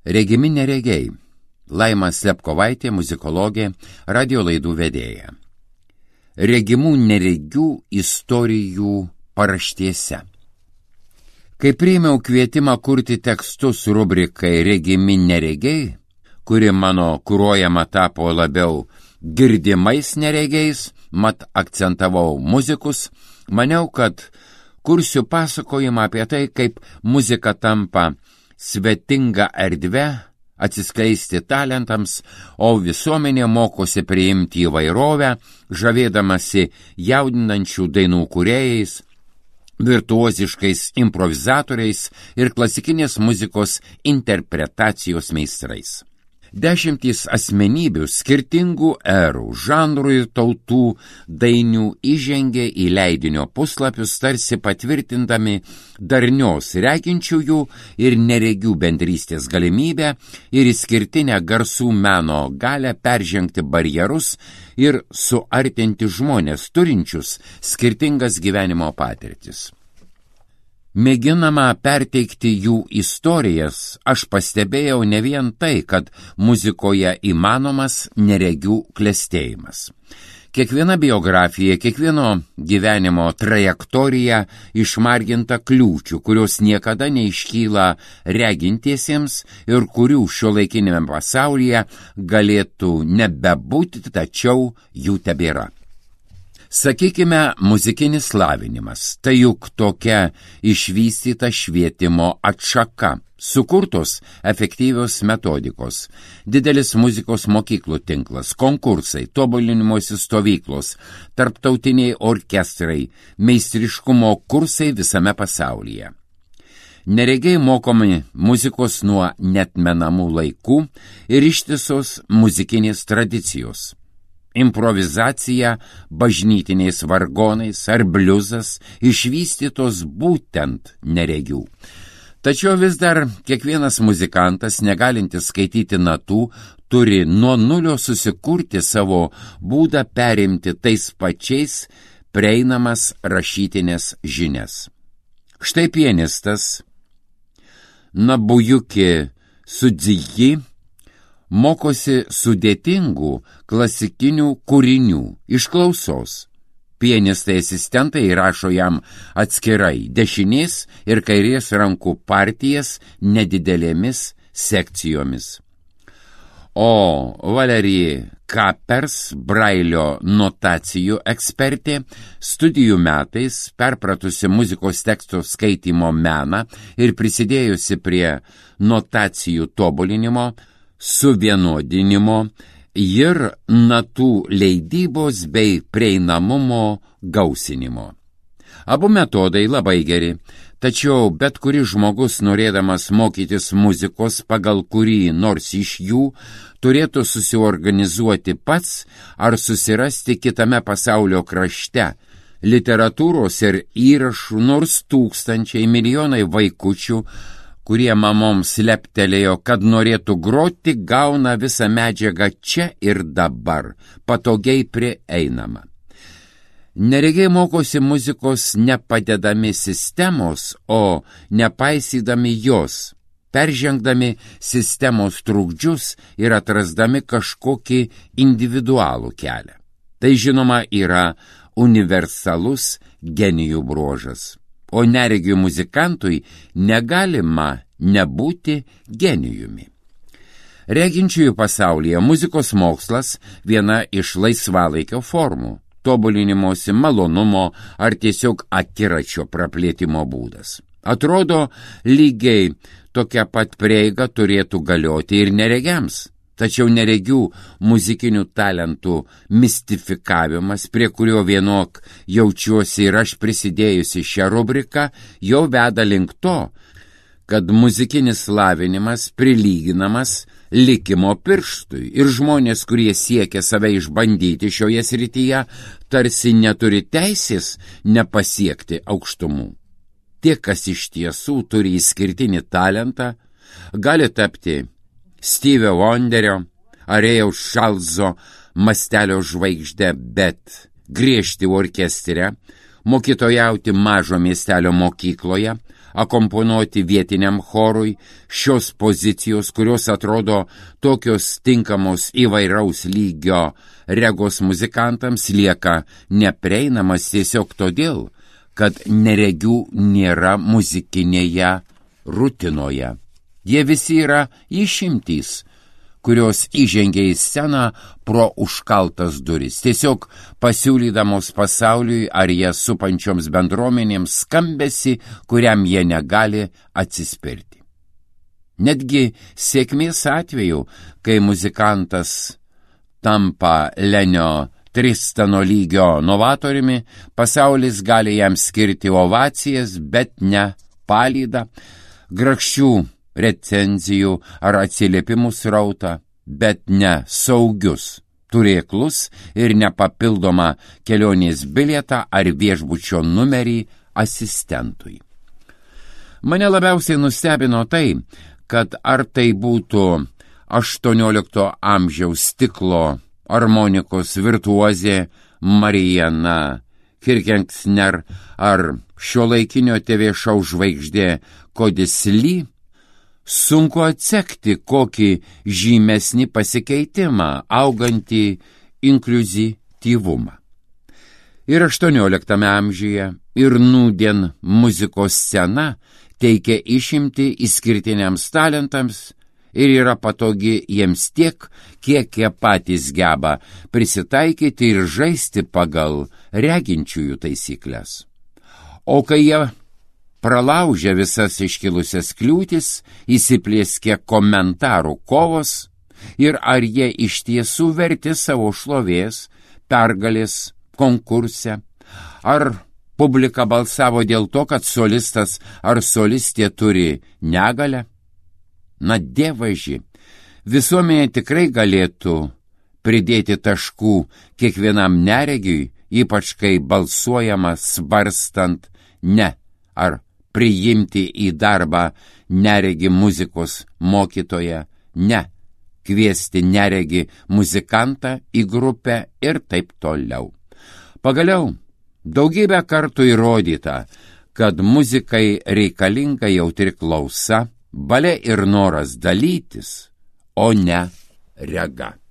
Regimi neregiai. Laima Slepkovaitė, muzikologė, radio laidų vedėja. Regimų neregių istorijų paraštėse. Kai priėmiau kvietimą kurti tekstus rubrikai Regimi neregiai, kuri mano kuruojama tapo labiau girdimais neregiais, mat akcentavau muzikus, maniau, kad kursiu pasakojimą apie tai, kaip muzika tampa svetinga erdve atsiskleisti talentams, o visuomenė mokosi priimti įvairovę, žavėdamasi jaudinančių dainų kūrėjais, virtuoziškais improvizatoriais ir klasikinės muzikos interpretacijos meistrais. Dešimtys asmenybių skirtingų erų, žanrų ir tautų dainių įžengė į leidinio puslapius, tarsi patvirtindami darnios reginčiųjų ir neregių bendrystės galimybę ir išskirtinę garsų meno galę peržengti barjerus ir suartinti žmonės turinčius skirtingas gyvenimo patirtis. Mėginama perteikti jų istorijas, aš pastebėjau ne vien tai, kad muzikoje įmanomas neregių klestėjimas. Kiekviena biografija, kiekvieno gyvenimo trajektorija išmarginta kliūčių, kurios niekada neiškyla regintiesiems ir kurių šiuolaikinėme pasaulyje galėtų nebebūti, tačiau jų tebėra. Sakykime, muzikinis lavinimas, tai juk tokia išvystyta švietimo atšaka, sukurtos efektyvios metodikos, didelis muzikos mokyklų tinklas, konkursai, tobulinimosi stovyklos, tarptautiniai orkestrai, meistriškumo kursai visame pasaulyje. Neregiai mokomi muzikos nuo neatmenamų laikų ir ištisos muzikinės tradicijos. Improvizacija bažnytiniais vargonais ar bliuzas išvystytos būtent neregių. Tačiau vis dar kiekvienas muzikantas, negalintis skaityti natų, turi nuo nulio susikurti savo būdą perimti tais pačiais prieinamas rašytinės žinias. Štai pianistas Nobuyuki Tsuji mokosi sudėtingų klasikinių kūrinių iš klausos. Pianistai asistentai įrašo jam atskirai dešinės ir kairės rankų partijas nedidelėmis sekcijomis. O Valerija Kapers, Brailio notacijų ekspertė, studijų metais perpratusi muzikos teksto skaitymo meną ir prisidėjusi prie notacijų tobulinimo, suvienodinimo ir natų leidybos bei prieinamumo gausinimo. Abu metodai labai geri, tačiau bet kuris žmogus, norėdamas mokytis muzikos pagal kurį nors iš jų, turėtų susiorganizuoti pats ar susirasti kitame pasaulio krašte literatūros ir įrašų, nors tūkstančiai, milijonai vaikučių, kurie mamoms leptelėjo, kad norėtų groti, gauna visą medžiagą čia ir dabar, patogiai prieinama. Neregiai mokosi muzikos nepadedami sistemos, o nepaisydami jos, peržengdami sistemos trukdžius ir atrasdami kažkokį individualų kelią. Tai žinoma yra universalus genijų bruožas. O neregių muzikantui negalima nebūti genijumi. Reginčiųjų pasaulyje muzikos mokslas viena iš laisvalaikio formų, tobulinimosi malonumo ar tiesiog akiračio praplėtimo būdas. Atrodo, lygiai tokia pat prieiga turėtų galioti ir neregiams. Tačiau neregių muzikinių talentų mistifikavimas, prie kurio vienok jaučiuosi ir aš prisidėjusi šią rubriką, jau veda link to, kad muzikinis lavinimas prilyginamas likimo pirštui ir žmonės, kurie siekia save išbandyti šioje srityje, tarsi neturi teisės nepasiekti aukštumų. Tie, kas iš tiesų turi išskirtinį talentą, gali tapti Stevie Wonderio ar Rėjaus Čarlzo mastelio žvaigždę, bet griežti orkestre, mokytojauti mažo miestelio mokykloje akomponuoti vietiniam chorui, šios pozicijos, kurios atrodo tokios tinkamos įvairaus lygio regos muzikantams, lieka neprieinamas tiesiog todėl, kad neregių nėra muzikinėje rutinoje. Jie visi yra išimtys, kurios įžengia į sceną pro užkaltas duris, tiesiog pasiūlydamos pasauliui ar ją supančioms bendruomenėms skambesį, kuriam jie negali atsispirti. Netgi sėkmės atveju, kai muzikantas tampa Lenio Tristano lygio novatoriumi, pasaulis gali jam skirti ovacijas, bet ne palydą, grakščių recenzijų ar atsiliepimų srautą, bet ne saugius turėklus ir nepapildomą kelionės bilietą ar viešbučio numerį asistentui. Mane labiausiai nustebino tai, kad ar tai būtų 18 amžiaus stiklo armonikos virtuozė Marijana Kirkengsner ar šiuolaikinio TV šou žvaigždė Kodis Lee, sunku atsekti kokį žymesnį pasikeitimą, augantį inkliuzityvumą. Ir 18 amžiuje, ir nūdien muzikos scena teikia išimtį išskirtiniams talentams ir yra patogi jiems tiek, kiek jie patys geba prisitaikyti ir žaisti pagal reginčiųjų taisyklės. O kai jie pralaužia visas iškilusias kliūtis, įsiplėskia komentarų kovos ir ar jie iš tiesų verti savo šlovės, pergalės konkurse, ar publika balsavo dėl to, kad solistas ar solistė turi negalią. Na, dievaži, visuomenė tikrai galėtų pridėti taškų kiekvienam neregiui, ypač kai balsuojama svarstant ne ar priimti į darbą neregį muzikos mokytoją, ne kviesti neregį muzikantą į grupę ir taip toliau. Pagaliau, daugybę kartų įrodyta, kad muzikai reikalinga jautri klausa, valia ir noras dalytis, o ne rega.